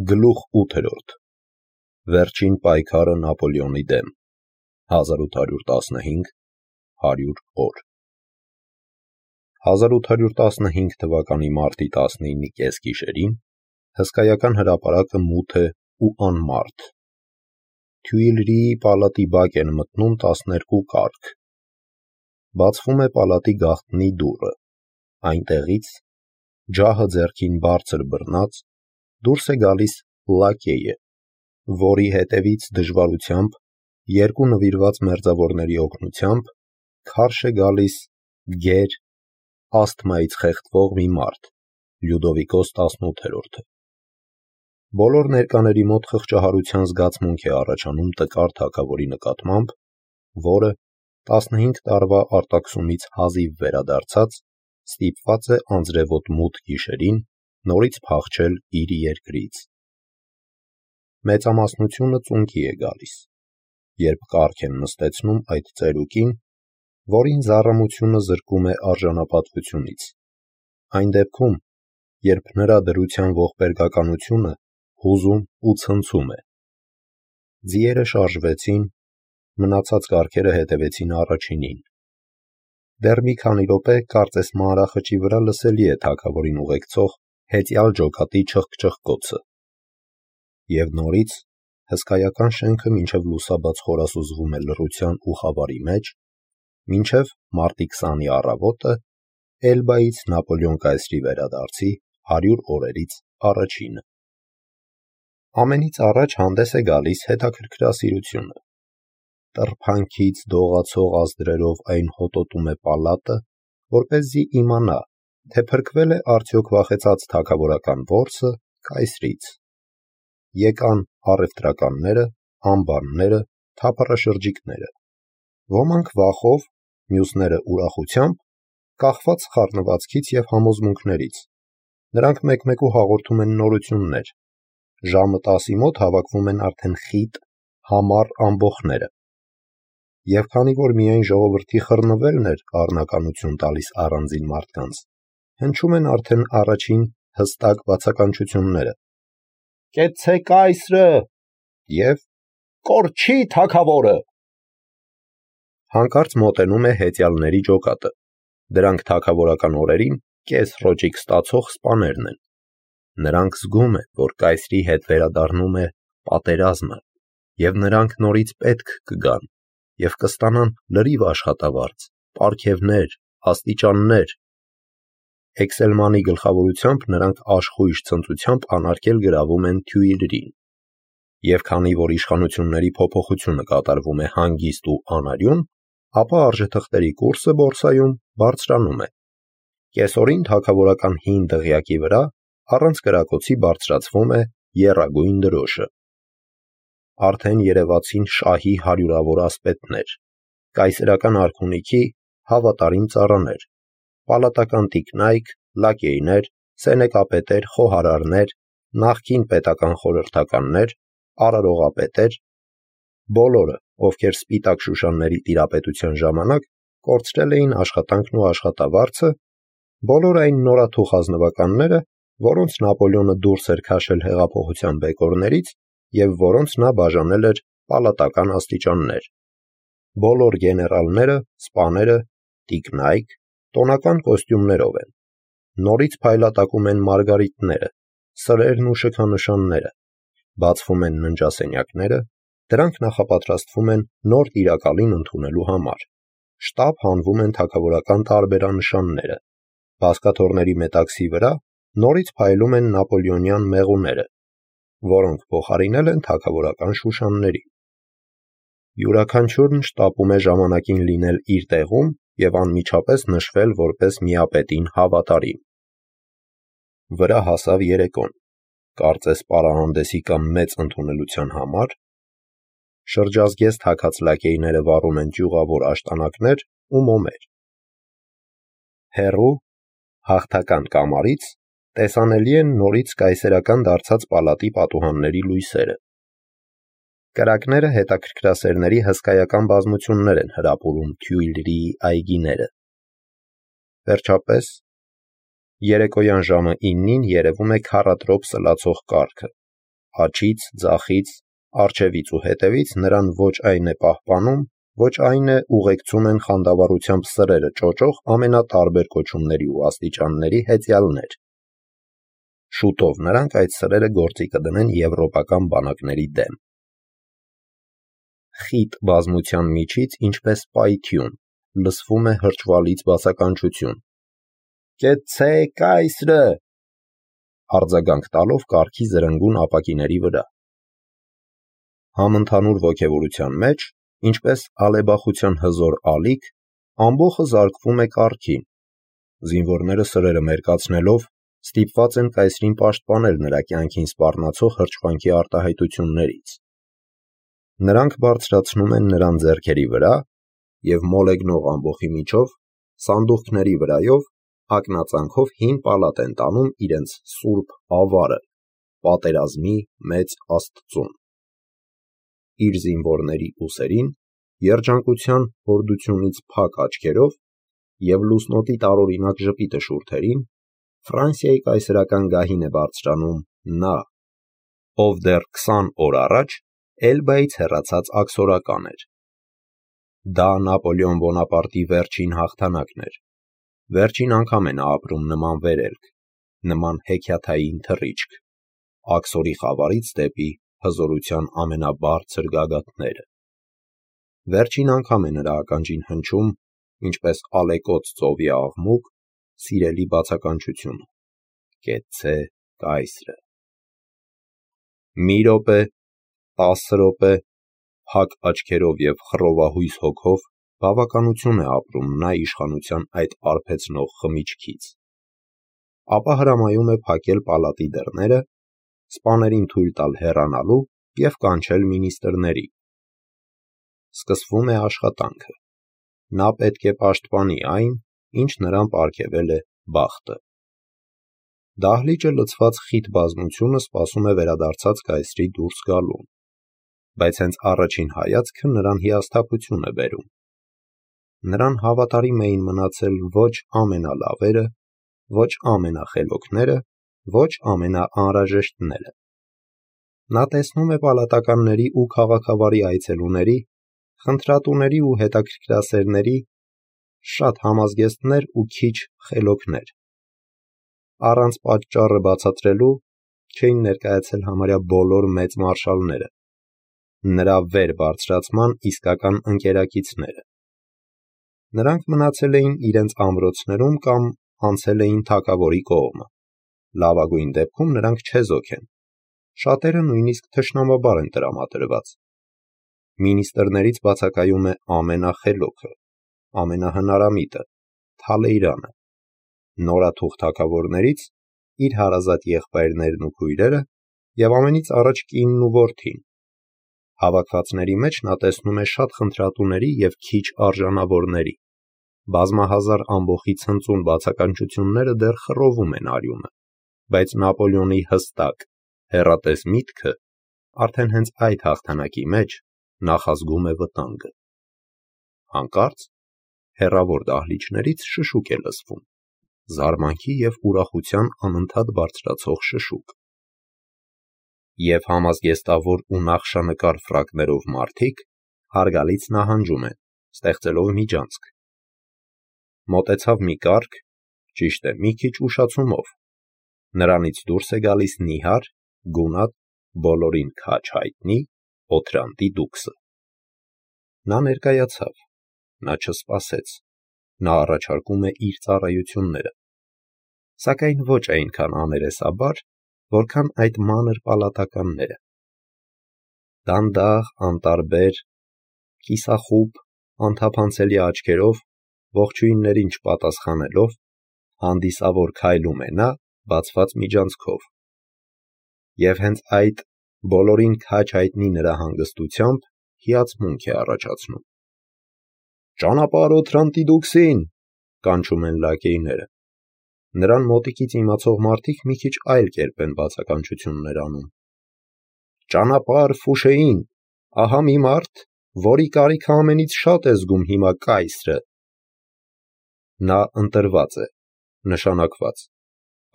Գլուխ 8. Վերջին պայքարը Նապոլեոնի դեմ 1815-100 օր 1815 թվականի մարտի 19-ի կեսգիշերին հսկայական հրապարակը մութ է ու անմարդ։ Թյուիլրիի պալատի բակ են մտնում 12 կառք։ Բացվում է պալատի գաղտնի դուռը, այնտեղից, ջահը ձեռքին բարձր բռնած, դուրս է գալիս լակեյը, որի հետևից դժվարությամբ, երկու նվիրված մերձավորների օգնությամբ, քարշ է գալիս գեր, ասթմայից խեղդվող մի մարդ, Լյուդովիկոս 18-րդը։ Բոլոր ներկաների մոտ խղճահարության զգացմունք է առաջանում տկար թագավորի նկատմամբ, որը 15 տարվա արտաքսումից հազիվ վերադարձած, ստիպված է անձրևոտ մութ գիշերին նորից փախչել իր երկրից։ Մեծամասնությունը ծունկի է գալիս, երբ կառք են նստեցնում այդ ծերուկին, որին զառամությունը զրկում է արժանապատվությունից, այն դեպքում, երբ նրա դրության ողբերգականությունը հուզում ու ցնցում է։ Ձիերը շարժվեցին, մնացած կառքերը հետևեցին առաջինին։ Դեռ մի քանի րոպե կարծես մանրախճի վրա լսելի է թագավորին ուղեկցող հեծյալ ջոկատի չխկչխկոցը։ Եվ նորից հսկայական շենքը մինչև լուսաբաց խորասուզվում է լռության ու խավարի մեջ, մինչև մարտի 20-ի առավոտը Էլբայից Նապոլեոն կայսրի վերադարձի 100 օրերից առաջինը։ Ամենից առաջ հանդես է գալիս հետաքրքրասիրությունը։ Տրփանքից դողացող ազդրերով այն հոտոտում է պալատը, որպեսզի իմանա, թե փրկվել է արդյոք վախեցած թագավորական որսը կայսրից։ Եկան առևտրականները, ամբարները, թափառաշրջիկները։ Ոմանք վախով, մյուսները ուրախությամբ, կախված խառնվածքից և համոզմունքներից։ Նրանք մեկ-մեկու հաղորդում են նորություններ։ Ժամը 10-ի մոտ հավաքվում են արդեն խիտ, համառ ամբոխները։ Եվ քանի որ միայն ժողովրդի խռնվելն էր առնականություն տալիս առանձին մարդկանց, հնչում են արդեն առաջին հստակ բացականչությունները. «Կեցցե կայսրը» և «Կորչի թագավորը»։ Հանկարծ մոտենում է հեծյալների ջոկատը։ Դրանք թագավորական օրերին կես ռոճիկ ստացող սպաներն են։ Նրանք զգում են, որ կայսրի հետ վերադառնում է պատերազմը, և նրանք նորից պետք կգան, և կստանան լրիվ աշխատավարձ, պարգևներ, աստիճաններ։ Էքսելմանի գլխավորությամբ նրանք աշխույժ ցնծությամբ անարգել գրավում են Թյուիլրին։ Եվ քանի որ իշխանությունների փոփոխությունը կատարվում է հանգիստ ու անարյուն, ապա արժեթղթերի կուրսը բորսայում բարձրանում է։ Կեսօրին թագավորական հին դղյակի վրա առանց կրակոցի բարձրացվում է եռագույն դրոշը։ Արդեն երևացին շահի հարյուրավոր ասպետներ, կայսերական արքունիքի հավատարիմ ծառաներ, պալատական տիկնայք, լակեյներ, սենեկապետեր, խոհարարներ, նախկին պետական խորհրդականներ, արարողապետեր, բոլորը, ովքեր սպիտակ շուշանների տիրապետության ժամանակ կորցրել էին աշխատանքն ու աշխատավարձը, բոլոր այն նորաթուխ ազնվականները, որոնց Նապոլեոնը դուրս էր քաշել հեղափոխության բեկորներից և որոնց նա բաժանել էր պալատական աստիճաններ։ Բոլոր գեներալները, սպաները, տիկնայք, տոնական կոստյումներով են։ Նորից փայլատակում են մարգարիտները, սրերն ու շքանշանները, բացվում են ննջասենյակները, դրանք նախապատրաստվում են նոր տիրակալին ընդունելու համար։ Շտապ հանվում են թագավորական տարբերանշանները։ Բազկաթոռների մետաքսի վրա նորից փայլում են նապոլեոնյան մեղուները, որոնք փոխարինել են թագավորական շուշանների։ Յուրաքանչյուրն շտապում է ժամանակին լինել իր տեղում և անմիջապես նշվել որպես միապետին հավատարիմ։ Վրա հասավ երեկոն, կարծես պարահանդեսի կամ մեծ ընդունելության համար։ Շրջազգեստ հագած լակեյները վառում են ճյուղավոր աշտանակներ ու մոմեր։ Հեռու, հաղթական կամարից տեսանելի են նորից կայսերական դարձած պալատի պատուհանների լույսերը։ Կրակները հետաքրքրասերների հսկայական բազմություններ են հրապուրում Թյուիլրիի այգիները։ Վերջապես, երեկոյան ժամը 9-ին երևում է քառատրոփ սլացող կառքը, աջից, ձախից, առջևից ու հետևից նրան ոչ այն է պահպանում, ոչ այն է ուղեկցում են խանդավառությամբ սրերը ճոճող ամենատարբեր կոչումների ու աստիճանների հեծյալներ։ Շուտով նրանք այդ սրերը գործի կդնեն եվրոպական բանակների դեմ։ Խիտ բազմության միջից, ինչպես պայթյուն, լսվում է հրճվալից բացականչություն. «Կեցցե կայսրը», արձագանք տալով կառքի զրնգուն ապակիների վրա։ Համընդհանուր ոգևորության մեջ, ինչպես ալեբախության հզոր ալիք, ամբոխը զարկվում է կառքին։ Զինվորները սրերը մերկացնելով ստիպված են կայսրին պաշտպանել նրա կյանքին սպառնացող հրճվանքի արտահայտություններից։ Նրանք բարձրացնում են նրան ձեռքերի վրա և մոլեգնող ամբոխի միջով, սանդուղքների վրայով, ակնածանքով հին պալատ են տանում իրենց սուրբ ավարը, պատերազմի մեծ Աստծուն։ Իր զինվորների ուսերին, երջանկության հորդությունից փակ աչքերով և լուսնոտի տարօրինակ ժպիտը շուրթերին, Ֆրանսիայի կայսրական գահին է բարձրանում նա, ով դեռ 20 օր առաջ Էլբայից հեռացած աքսորական էր։ Դա Նապոլեոն Բոնապարտի վերջին հաղթանակն էր։ Վերջին անգամ է նա ապրում նման վերելք, նման հեքիաթային թռիչք, աքսորի խավարից դեպի հզորության ամենաբարձր գագաթները։ Վերջին անգամ է նրա ականջին հնչում, ինչպես ալեկոծ ծովի աղմուկ, սիրելի բացականչությունը. «Կեցցե կայսրը»։ Մի րոպե, 10 րոպե, փակ աչքերով և խռովահույս հոգով բավականություն է ապրում նա իշխանության այդ արբեցնող խմիչքից։ Ապա հրամայում է փակել պալատի դռները, սպաներին թույլ տալ հեռանալու և կանչել մինիստրների։ Սկսվում է աշխատանքը։ Նա պետք է պաշտպանի այն, ինչ նրան պարգևել է բախտը։ Դահլիճը լցված խիտ բազմությունը սպասում է վերադարձած կայսրի դուրս գալուն, բայց հենց առաջին հայացքը նրան հիասթափություն է բերում։ Նրան հավատարիմ էին մնացել ոչ ամենալավերը, ոչ ամենախելոքները, ոչ ամենաանհրաժեշտները։ Նա տեսնում է պալատականների ու քաղաքավարի այցելուների, խնդրատուների ու հետաքրքրասերների, շատ համազգեստներ ու քիչ խելոքներ։ Առանց պատճառը բացատրելու չէին ներկայացել համարյա բոլոր մեծ մարշալները, նրա վեր բարձրացման իսկական ընկերակիցները։ Նրանք մնացել էին իրենց ամրոցներում կամ անցել էին թագավորի կողմը։ Լավագույն դեպքում նրանք չեզոք են, շատերը նույնիսկ թշնամաբար են տրամադրված։ Մինիստրներից բացակայում է ամենախելոքը, ամենահնարամիտը, Թալեյրանը, նորաթուխ թագավորներից իր հարազատ եղբայրներն ու քույրերը և ամենից առաջ կինն ու որդին։ Հավաքվածների մեջ նա տեսնում է շատ խնդրատուների և քիչ արժանավորների։ Բազմահազար ամբոխի ցնծուն բացականչությունները դեռ խռովում են արյունը, բայց Նապոլեոնի հստակ, հեռատես միտքը արդեն հենց այդ հաղթանակի մեջ նախազգում է վտանգը։ Հանկարծ հեռավոր դահլիճներից շշուկ է լսվում, զարմանքի և ուրախության անընդհատ բարձրացող շշուկ։ Եվ համազգեստավոր ու նախշանկար ֆրակներով մարդիկ հարգալից նահանջում են, ստեղծելով միջանցք։ Մոտեցավ մի կառք, ճիշտ է, մի քիչ ուշացումով։ Նրանից դուրս է գալիս նիհար, գունատ, բոլորին քաջ հայտնի Օթրանտի դուքսը։ Նա ներկայացավ, նա չսպասեց, նա առաջարկում է իր ծառայությունները, սակայն ոչ այնքան աներեսաբար, որքան այդ մանր պալատականները։ Դանդաղ, անտարբեր, կիսախուբ, անթափանցելի աչքերով, ողջույններին չպատասխանելով, հանդիսավոր քայլում է նա բացված միջանցքով։ Եվ հենց այդ բոլորին քաջ հայտնի նրա հանգստությամբ հիացմունք է առաջացնում։ «Ճանապարհ Օթրանտի դուքսին», կանչում են լակեյները։ Նրան մոտիկից իմացող մարդիկ մի քիչ այլ կերպ են բացականչություններ անում։ «Ճանապարհ Ֆուշեին, ահա մի մարդ, որի կարիքը ամենից շատ է զգում հիմա կայսրը»։ Նա ընտրված է, նշանակված,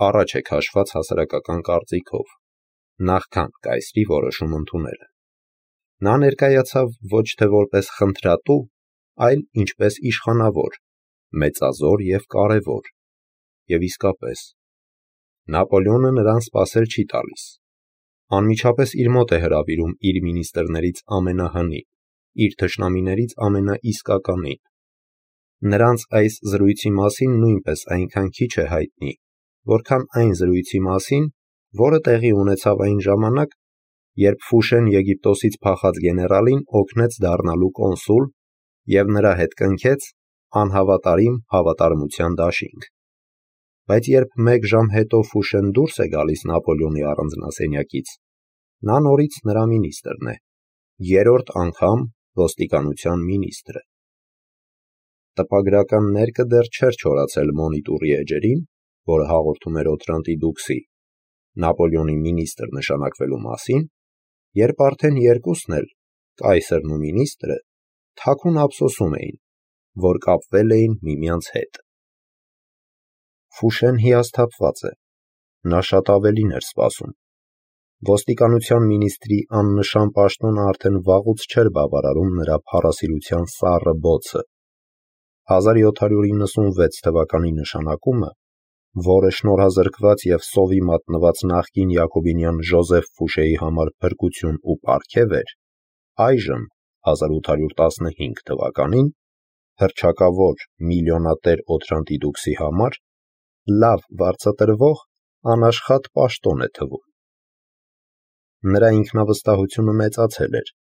առաջ է քաշված հասարակական կարծիքով։ նախքան կայսրի որոշում ընդունելը։ Նա ներկայացավ ոչ թե որպես խնդրատու, այլ ինչպես իշխանավոր, մեծազոր և կարևոր։ Եվ իսկապես, Նապոլեոնը նրան սպասել չի տալիս։ Անմիջապես իր մոտ է հրավիրում իր մինիստրներից ամենահնին, իր թշնամիներից ամենաիսկականին։ Նրանց այս զրույցի մասին նույնպես այնքան քիչ է հայտնի, որքան այն զրույցի մասին, որը տեղի ունեցավ այն ժամանակ, երբ Ֆուշեն Եգիպտոսից փախած գեներալին օգնեց դառնալու կոնսուլ և նրա հետ կնքեց անհավատարիմ հավատարմության դաշինք։ Բայց երբ 1 ժամ հետո Ֆուշեն դուրս է գալիս Նապոլեոնի առանձնասենյակից, նա նորից նրա մինիստրն է, 3-րդ անգամ ոստիկանության մինիստրը։ Տպագրական ներկը դեռ չէր չորացել Մոնիտուրի էջերին, որը հաղորդում էր Օթրանտի դուքսի Նապոլեոնի մինիստր նշանակվելու մասին, երբ արդեն երկուսն էլ, կայսրն ու մինիստրը, թաքուն ափսոսում էին, որ կապվել էին միմյանց հետ։ Ֆուշեն հիասթափված է, նա շատ ավելին էր սպասում։ Ոստիկանության մինիստրի աննշան պաշտոնը արդեն վաղուց չէր բավարարում նրա փառասիրության սառը բոցը։ 1796 թվականի նշանակումը, որը շնորհազրկված և սովի մատնված նախկին յակոբինյան Ժոզեֆ Ֆուշեի համար փրկություն ու պարգև էր, այժմ 1815 թվականին հռչակավոր միլիոնատեր Օթրանտի դուքսի համար լավ վարձատրվող անաշխատ պաշտոն է թվում։ Նրա ինքնավստահությունը մեծացել էր։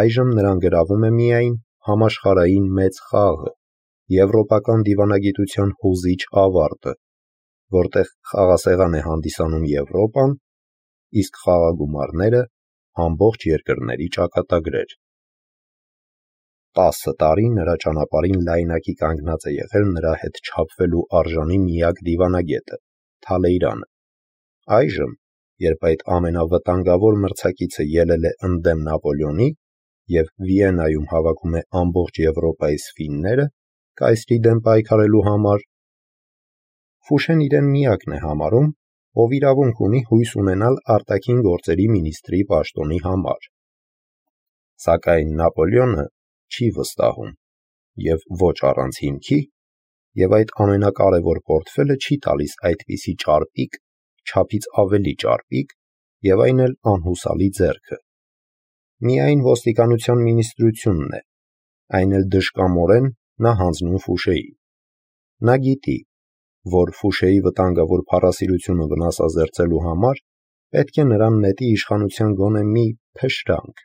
Այժմ նրան գրավում է միայն համաշխարհային մեծ խաղը, եվրոպական դիվանագիտության հուզիչ ավարտը, որտեղ խաղասեղան է հանդիսանում Եվրոպան, իսկ խաղագումարները ամբողջ երկրների ճակատագրեր։ 10 տարի նրա ճանապարհին լայնակի կանգնած է եղել նրա հետ չափվելու արժանի միակ դիվանագետը՝ Թալեյրանը։ Այժմ, երբ այդ ամենավտանգավոր մրցակիցը ելել է ընդդեմ Նապոլեոնի և Վիեննայում հավաքում է ամբողջ Եվրոպայից ֆինները կայսրի դեմ պայքարելու համար, Ֆուշեն իրեն միակն է համարում, ով իրավունք ունի հույս ունենալ արտաքին գործերի մինիստրի պաշտոնի համար։ Սակայն Նապոլեոնը չի վստահում և ոչ առանց հիմքի, և այդ ամենակարևոր պորտֆելը չի տալիս այդպիսի ճարպիկ, չափից ավելի ճարպիկ և այն էլ անհուսալի ձեռքը։ Միայն ոստիկանության մինիստրությունն է, այն էլ դժկամորեն նա հանձնում Ֆուշեին։ Նա գիտի, որ Ֆուշեի վտանգավոր փառասիրությունը վնասազերծելու համար պետք է նրան նետի իշխանության գոնե մի փշրանք,